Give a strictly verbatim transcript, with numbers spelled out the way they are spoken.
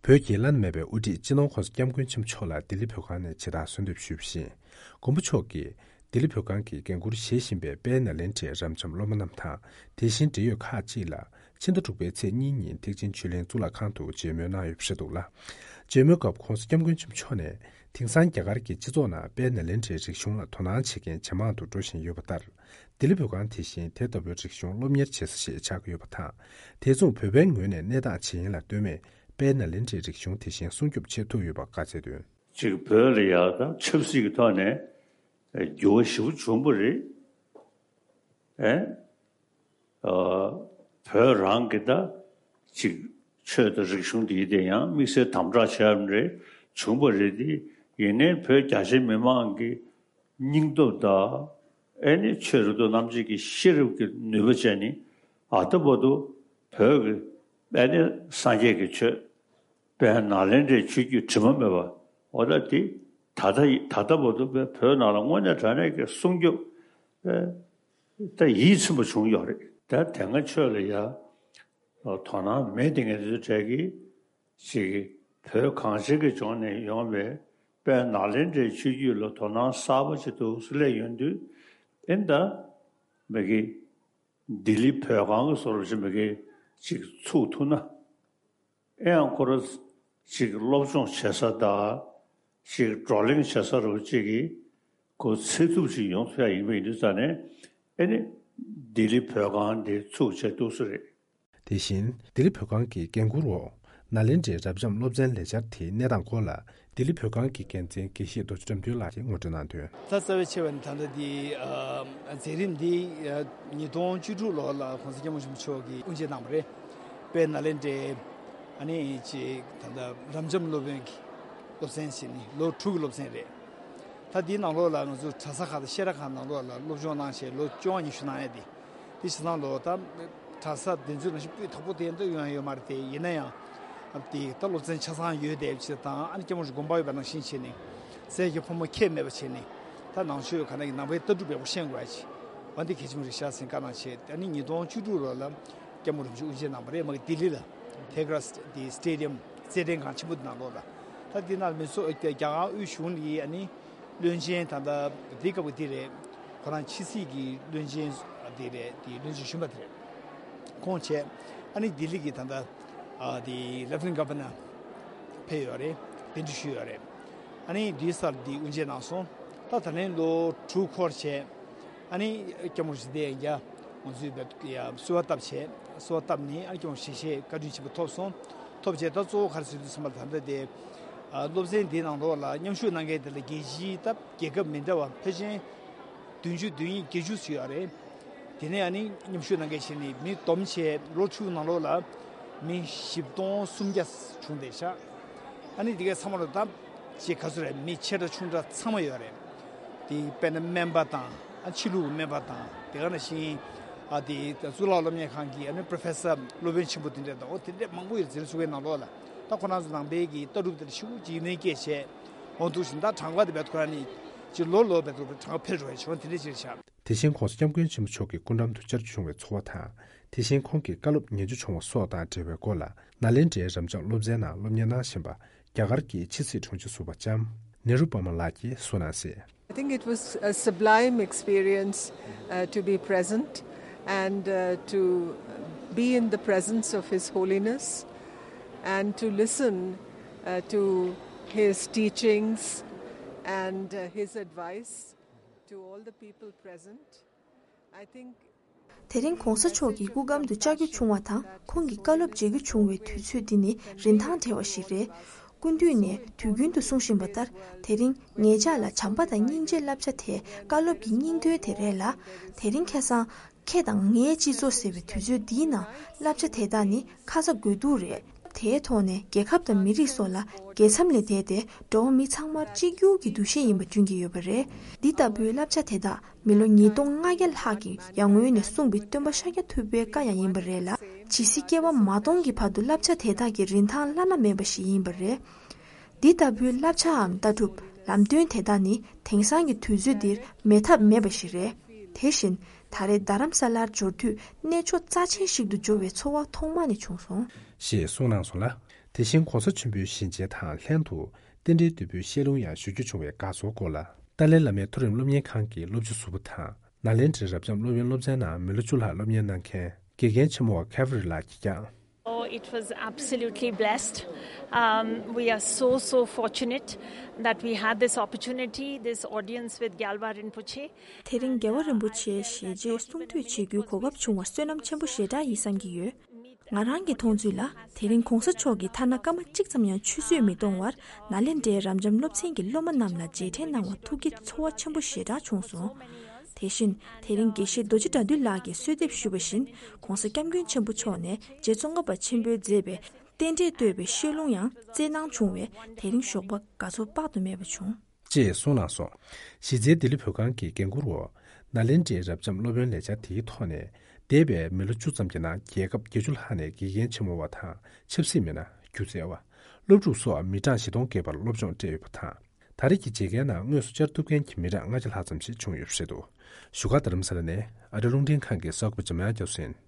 བོད་ཀྱི་བླ་ན་མེད་པའི་དབུ་ཁྲིད་སྤྱི་ནོར་༸གོང་ས་༸སྐྱབས་མགོན་ཆེན་པོ་མཆོག་ལ་ལྡི་ལི་བོད་ཁང་ནས་ཇི་ལྟར་གསོལ་འདེབས་ཞུས་པ་བཞིན། མགོན་པོ་མཆོག་གིས་ལྡི་ལི་བོད་ཁང་གི་འགན་འཁུར་བཞེས་བཞིན་པའི་དཔལ་ནཱ་ལེནྡྲའི་རབ་འབྱམས་སློབ་མ་རྣམས་དང་། དེ་བཞིན་འབྲེལ་ཡོད་ཁག་ཅིག་ལ་ཕྱི་ཟླ་དྲུག་པའི་ཚེས་གཉིས་ཉིན་ཐེག་ཆེན་ཆོས་གླིང་གཙུག་ལག་ཁང་དུ་མཇལ་མོལ་གནང་ཡོད་པ་རེད་འདུག་ལ། མཇལ་མོལ་སྐབས་༸གོང་ས་༸སྐྱབས་མགོན་ཆེན་པོ་མཆོག་ནས། དེང་སང་རྒྱ་གར་གྱི་སྤྱི་ཚོགས་ནང་དཔལ་ནཱ་ལེནྡྲའི་རིག་གཞུང་ལ་དོ་སྣང་བྱེད་མཁན་ཇེ་མང་དུ་འགྲོ་བཞིན་ཡོད་པ་ལྟར། ལྡི་ལི་བོད་ཁང་དེ་བཞིན་དེ་ལྟ་བུའི་རིག་གཞུང་སློབ་གཉེར་བྱེད་ས་ཞིག་ཆགས་ཀྱི་ཡོད་པ་དང་། དེ་མཚུངས་བོད་པའི་ངོས་ནས་གནས་སྟངས་ཇི་ཡིན་ལ་ལྟོས་མེད་དཔལ་ནཱ་ལེནྡྲའི་རིག་གཞུང་དེ་བཞིན་སྲུང་སྐྱོབ་བྱེད་ཐུབ་ཡོད་པ་བཀའ་སྩལ་དོན། ཅིག་བོད་ལ་ཡག་དང་ཆབ་སྲིད་ཀྱི་ཐོག་ནས་འགྱུར་བ་ཞེ་པོ་བྱུང་བ་རེད། ཨེ། ཨ། བོད་རང་གི་ད་ཅིག་ཆོས་དང་རིག་གཞུང་འདི་དེ་ཡང་དམིགས་བསལ་དམ་དྲག་བྱས་པ་རེད། བྱུང་བ་རེད་དེ། ཡིན་ནའི་བོད་རྒྱ་ཆེ་མི་མང་གི་སྙིང་སྟོབས་དང་། ཨེ་ནི་ཆོས་རབ་ཏུ་རྣམ་འབྱེད་ཀྱི་ཤེས་རབ་ཀྱི་ནུས་པ་བྱས་ནི་ཨ་ཏི་བར་དུ་བོད་ཀྱི་ཨེ་ནི་སངས་རྒྱས་ཀྱི་ཆོས་དཔལ་ནཱ་ལེནྡྲའི་ཆོས་བརྒྱུད་དྲི་མ་མེད་པ་འོ་ད་དེ་ད་ལྟ་ཡི་ད་ལྟ་བར་དུ་བོད་ནང་ལ་དངོས་གནས་དྲང་གནས་ཀྱི་སྲུང་སྐྱོབ་ཨེ་ད་ཡིད་ཚིམ་པ་བྱུང་ཡོད་རེད། ད་དེ་སྔ་ཆོས་ལ་ཡ་དོ་སྣང་མེད་དེ་ངས་དེ་ཚོ་གྲས་ཀྱི་ཅིག་བོད་གངས་ཅན་གྱི་ལྗོངས་ནས་ཡོང་བའི་དཔལ་ནཱ་ལེནྡྲའི་ཆོས་བརྒྱུད་ལ་དོ་སྣང་གསར་པ་ཅིག་འདུག་སེ་སླེབས་ཡོང་དུས། ཨེ་ད་མི་གི་ལྡི་ལི་བོད་ཁང་གི་བཟོ་འདྲ་ཅིག་མི་གི་ཅིག་ཚུགས་ཐུབ་ན། ཨེ་ཡང་ཁོ་རང་ཅིག་སློབ་སྦྱོང་བྱེད་ས་དང་ཅིག་བགྲོ་གླེང་བྱེད་ས་རུ་ཅིག་གི་ཁོ་ཚེ་ཐུབ་ཅིག་ཡོང་ཐུབ་ཡ་ཡིན་པ་ཡིན་དུས་ཙང་ནས། ཨེ་ནི་ལྡི་ལི་བོད་ཁང་འདི་ཚུགས་བྱས་འདུག་སེ་རེད། དེ་བཞིན་ལྡི་ལི་བོད་ཁང་གི་འགན་འཁུར་འོག་ནཱ་ལེནྡྲའི་རབ་འབྱམས་སློབ་ཚན་ལས་འཆར་དེའི་གནས་སྟངས་སྐོར་ལ་ལྡི་ལི་བོད་ཁང་གི་འགན་འཛིན་དགེ་བཤེས་རྡོ་རྗེ་དགྲ་འདུལ་ལགས་ཀྱིས་ངོ་སྤྲོད་གནང་དོན། ད་རྩ་བའི་ཆེ་བ་ནི་ད་ལྟ་འདི་ཨ་མཛད་རིམ་འདི་ཨ་ཉིས་སྟོང་བཅུ་དྲུག་ལོ་ལ་༸གོང་ས་༸སྐྱབས་མགོན་ཆེན་པོ་མཆོག་གིས་དབུ་འབྱེད་གནང་བ་རེད། དཔལ་ནཱ་ལེནྡྲའི་ཨ་ནི་ཅིག་ད་ལྟ་རབ་འབྱམས་སློབ་དཔོན་གྱི་སློབ་ཚན་ཟེར་ནི་ལོ་དྲུག་གི་སློབ་ཚན་རེད། ད་འདིའི་ནང་ལོགས་ལ་ང་ཚོ་གྲྭ་ས་ཁག་དང་བཤད་གྲྭ་ཁག་ནང་ལོགས་ལ་སློབ་སྦྱོང་གནང་བྱས་ལོ་བཅོ་ལྔ་ཉི་ཤུ་གནང་ཡ་དེ། དེ་བྱས་ཙང་ལོ་ད་གྲྭ་ས་དེ་ཚོའི་ནང་བཞིན་སྤུས་དག་པོ་དེ་འདྲ་ཡོང་ཡ་ཡོད་མ་རེད་དེ། ཡིན་ན་ཡང་ཨ་དེ་ད་སློབ་ཚན་ཆ་ཚང་ཡོད་བསྡད་པ་ཅིག་དང་། ཨ་ནི་སྐྱབས་མགོན་རིན་པོ་ཆེ་དགོངས་པ་ཡོད་པ་ནང་བཞིན་བྱས་ནས་ཟས་ཀྱི་ཕོ་མོ་ཁྱད་མེད་པ་བྱས་ནས། ད་ནང་ཆོས་ག་ན་གི་ནང་པའི་ལྟ་གྲུབ་ཡག་པོ་ཤེས་དགོས་ཡ་ཅིག་འོ་འདི་གལ་ཆེན་པོ་རེད་ཤག་ཟེར་བཀའ་གནང་བྱས། ཨ་ནི་ཉིས་སྟོང་བཅུ་དྲུག་ལོ་ལ་སྐྱབས་མགོན་རིན་པོ་ཆེ་དབུ་འབྱེད་གནང་བ་རེད། མ་གི་ལྡི་ལི་ལ་ཐེ་གྲ་དེ་སི་ཊེ་ཌི་ཡམ་རྩེད་འགྲན་ཁང་ཆེན་པོ་དེ་ནང་ལོགས་ལ། ད་དེ་ནང་མི་ཚོ་རྒྱ་གར་དབུས་གཞུང་གི་ཨ་ནི་བློན་ཆེན་ད་ལྟ་དེ་སྐབས་ཀྱི་དེ་རེད། ཁོ་རང་ཕྱི་སྲིད་ཀྱི་བློན་ཆེན་དེ་རེད། དེ་བློན་ཆེན་གཞོན་པ་དེ་རེད། ཁོང་བྱས། ཨ་ནི་ལྡི་ལི་གི་ད་ལྟ་ཨ་དེ་ལེབ་ཊི་ནན་གྷ་ཝར་ནར་ཕེབས་ཡོད་རེད། གདན་འདྲེན་ཞུས་ཡོད་རེད། ཨ་ནི་དེའི་སར་དེ་དབུ་འབྱེད་གནང་སོང་། ད་ད་ལན་ལོ་དྲུག་འཁོར་བྱས། ཨ་ནི་སྐྱབས་མགོན་རིན་པོ་ཆེ་ཡང་ང་ཚོའི་བོད་ཡ་གསོལ་བ་བཏབ་བྱས། གསོལ་བ་བཏབ་ནས་ཨ་ནི་སྐྱབས་མགོན་ཞལ་བཞེས་བཀའ་དྲིན་ཆེན་པོ་ཐོབ་སོང་། ཐོབ་བྱས་ད་གཙོ་བོ་ག་རེ་ཟེར་དུས་ཙམ་པ་ལ་ད་ལྟ་དེ་ཨ་སློབ་ཚན་འདིའི་ནང་ལོགས་ལ་མཉམ་ཞུགས་གནང་མཁན་དེ་ལ་རྒྱལ་སྤྱིའི་ད་རྒྱལ་ཁབ་མི་འདྲ་བ་ཕལ་ཆེར་བདུན་ཅུ་དོན་གཉིས་བརྒྱད་ཅུ་ཙམ་ཡོད་རེད། དེ་ནས་ཨ་ནི་མཉམ་ཞུགས་གནང་མཁན་བྱས་ནས་མི་བསྡོམས་བྱས་ལོ་དྲུག་ནང་ལོགས་ལ་མི་བཞི་སྟོང་སུམ་བརྒྱ་བྱུང་བསྡད་ཤག་ཨ་ནི་དེ་གའི་ཚང་མ་ལ་ད་ཅིག་ག་ཚོད་རེད། མི་ཆེ་དྲགས་ཆུང་དྲགས་ཚང་མ་ཡོད་རེད། དེ་དཔེར་ན་སྨན་པ་དང་། ཨ་ཕྱི་ལུགས་ཀྱི་སྨན་པ་དང་། དེ་ག་ནང་བཞིན་ཨ་དེ་གཙུག་ལག་སློབ་གཉེར་ཁང་གི་ཨ་ནི་པོ་རོ་ཕེ་སར་སློབ་དཔོན་ཆེན་པོ་དེ་འདྲ་དང་། འོ་དེ་འདྲ་མང་པོ་ཡོད་རེད། འཛིན་གྲྭ་ཚུགས་ཀའི་ནང་ལོགས་ལ་ད་ཁོ་རང་ཚོ་ནང་པའི་གི་ལྟ་གྲུབ་དེ་ལ་ཤུགས་ཀྱིས་ནས་སྐྱེས་བྱས། འོ་འདུག་བཞིན་ད་གྲངས་ཀ་དེ་བས་ཁོ་རང་ནི་ཅིག་ལོ་ལོ་བས་གྲངས་ཀ་འཕེལ་འགྲོ་བའི་བྱུང་དེ་འདྲ་ཅིག་རེད་ཤག་དེ་བཞིན་༸གོང་ས་༸སྐྱབས་མགོན་ཆེན་པོ་མཆོག་གི་སྐུ་འགྲམ་དུ་བཅར་བྱུང་བའི་ཚོར་བ་དང་། དེ་བཞིན་ཁོང་གི་བཀའ་སློབ་ཉན་རྒྱུ་བྱུང་བ་སོགས་དང་འབྲེལ་བའི་སྐོར་ལ། ནཱ་ལེནྡྲའི་རབ་འབྱམས་སློབ་ཚན་ནང་སློབ་གཉེར་གནང་བཞིན་པ། རྒྱ་གར་གྱི་ཕྱི་སྲིད་དྲུང་ཆེ་ཟུར་པ་ལྕམ་ནེ་རུ་པ་མ་ལགས་ཀྱིས་གསུངས་གནང་གསལ། I think it was a sublime experience uh, to be present and uh, to be in the presence of His Holiness and to listen uh, to his teachings and uh, his advice to all the people present. I think དེ་རིང་༸གོང་ས་མཆོག་གི་སྐུ་གམ་དུ་བཅར་རྒྱུ་བྱུང་བ་དང་། ཁོང་གི་བཀའ་སློབ་མཇལ་རྒྱུ་བྱུང་བའི་དུས་ཚོད་འདི་ནི་རིན་ཐང་བྲལ་བ་ཞིག་རེད། སྐུ་མདུན་ནས་དུས་རྒྱུན་དུ་གསུང་བཞིན་པ་ལྟར། དེ་རིང་ངེད་ཅག་ལ་བྱམས་པ་དང་སྙིང་རྗེའི་བསླབ་བྱ་དེ་བཀའ་སློབ་ཀྱི་སྙིང་དོན་དེ་རེད་ལ། དེ་རིང་ཁ་སང་ཁྱེད་དང་ངའི་སྤྱི་ཚོགས་ཟེར་བའི་དུས་ཚོད་འདིའི་ནང་བསླབ་བྱ་དེ་དག་ནི་ཁ་ཚ་དགོས་གཏུགས་རེད། དེའི་ཐོག་ནས་རྒྱལ་ཁབ་དང་མི་རིགས་སོགས་ལ་དགེ་མཚམས་ལས་འདས་ཏེ། འགྲོ་བ་མི་ཚང་མར་གཅིག་གྱུར་གྱི་འདུ་ཤེས་ཡིན་པ་བསྐྲུན་གྱི་ཡོད་པ་རེད། འདི་ལྟ་བུའི་བསླབ་བྱ་དེ་དག་མི་ལོ་ཉིས་སྟོང་ལྔ་བརྒྱ་ལྷག་གི་ཡར་སྔོན་ནས་གསུངས་པའི་སྟོན་པ་ཤཱཀྱ་ཐུབ་པའི་བཀའ་ཡང་ཡིན་པ་རེད་ལ། ཇི་སྲིད་སྐྱེ་བ་མ་སྟོངས་ཀྱི་བར་དུ་བསླབ་བྱ་དེ་དག་གི་རིན་ཐང་བླ་ན་མེད་པ་ཞིག་ཡིན་པ་རེད། འདི་ལྟ་བུའི་བསླབ་བྱའམ་ལྟ་གྲུབ། ལམ་སྟོན་དེ་དག་ནི་དེང་སང་གི་དུས་ཚོད་འདིར་མེད་ཐབས་མེད་པ་ཞིག་རེད། དེ་བཞིན་ད་རེས་རྡ་རམ་ས་ལར་འབྱོར་དུས་གནས་མཆོག་རྩ་ཆེན་ཞིག་ཏུ་གྱུར་བའི་ཚོར་བ་ཐོག་མ་ནས་བྱུང་སོང་། ཞེས་གསུངས་གནང་སོང་ལ། དེ་བཞིན་གོང་ས་ཆེན་པོའི་ཞལ་མཇལ་དང་ལྷན་དུ་རྟེན་འབྲེལ་དོད་པོའི་བཤད་ལུང་ཡང་ཞུ་རྒྱུ་བྱུང་བའི་དགའ་ཚོར་སྐོར་ལ། ཏཱ་ལའི་བླ་མའི་མཐོ་རིམ་སློབ་གཉེར་ཁང་གི་སློབ་སྤྱི་ཟུར་པ་དང་། ནཱ་ལེནྡྲའི་རབ་འབྱམས་སློབ་ཡོན་སློབ་ཚན་ནང་མི་ལོ་བཅུ་ལྷག་སློབ་གཉེར་གནང་མཁན་དགེ་རྒན་ཆེན་མོ་བ་ཁེ་ཝི་རི་ལགས་ཀྱིས་ཀྱང་། Oh, it was absolutely blessed. Um, we are so, so fortunate that we had this opportunity, this audience with Gyalwa Rinpoche. དེ་རིང་རྒྱལ་བ་རིན་པོ་ཆེའི་ཞལ་མཇལ་གསུང་ཐོས་བྱེད་རྒྱུའི་གོ་སྐབས་བྱུང་བར་བསོད་ནམས་ཆེན་པོ་ཞེ་དྲག་ཡིན་བསམ་གྱི་ཡོད། ང་རང་གི་མཐོང་ཚུལ་ལ། དེ་རིང་གོང་ས་མཆོག་གིས་ཐ་ན་སྐར་མ་གཅིག་ཙམ་ཡང་ཆུད་ཟོས་མི་གཏོང་བར་ནཱ་ལེནྡྲའི་རབ་འབྱམས་སློབ་ཚན་གྱི་སློབ་མ་རྣམས་ལ་རྗེས་དྲན་གནང་བ་ཐུགས་ཀྱི་ཚོར་བ་ཆེན་པོ་ཞེ་དྲག་བྱུང་སོང་། དེ་བཞིན་དེ་རིང་དགེ་བཤེས་རྡོ་རྗེ་དགྲ་འདུལ་ལགས་ཀྱིས་གསོལ་འདེབས་ཞུས་པ་བཞིན་གོང་ས་སྐྱབས་མགོན་ཆེན་པོ་མཆོག་ནས་རྗེ་ཙོང་ཁ་པ་ཆེན་པོས་མཛད་པའི་རྟེན་འབྲེལ་བསྟོད་པའི་བཤད་ལུང་ཡང་སྩལ་གནང་བྱུང་བས་དེ་རིང་ཞོགས་པ་དགའ་ཚོར་དཔག་ཏུ་མེད་པ་བྱུང་། ཅེས་གསུངས་གནང་སོང་། གཞི་རྩའི་ལྡི་ལི་བོད་ཁང་གི་འགན་འཁུར་འོག་ནཱ་ལེནྡྲའི་རབ་འབྱམས་སློབ་ཡོན་ལས་འཆར་དེའི་ཐོག་ནས། འདས་པའི་མི་ལོ་བཅུ་ཙམ་གྱི་ནང་རྒྱལ་ཁབ་བརྒྱད་ཅུ་ལྷག་ནས་དགེ་རྒན་ཆེན་མོ་བ་དང་ཆབ་སྲིད་མི་སྣ། སྒྱུ་རྩལ་བ། སློབ་ཕྲུག་སོགས་མི་གྲངས་བཞི་སྟོང་བརྒལ་བར་སློབ་སྦྱོང་སྤྲད་ཡོད་པ་དང་། ད་རེས་ཀྱི་མཇལ་ཁའི་ནང་དངོས་སུ་བཅར་ཐུབ་མཁན་གྱི་མི་གྲངས་ལྔ་བརྒྱ་ལྷག་ཙམ་ཞིག་བྱུང་ཡོད་པ་རེད་འདུག་བཞུགས་སྒར་རྡ་རམ་ས་ལ་ནས་ཨ་རི་རླུང་འཕྲིན་ཁང་གི་གསར་འགོད་པ་འཇམ་དབྱངས་རྒྱ་མཚོ་ཡིན།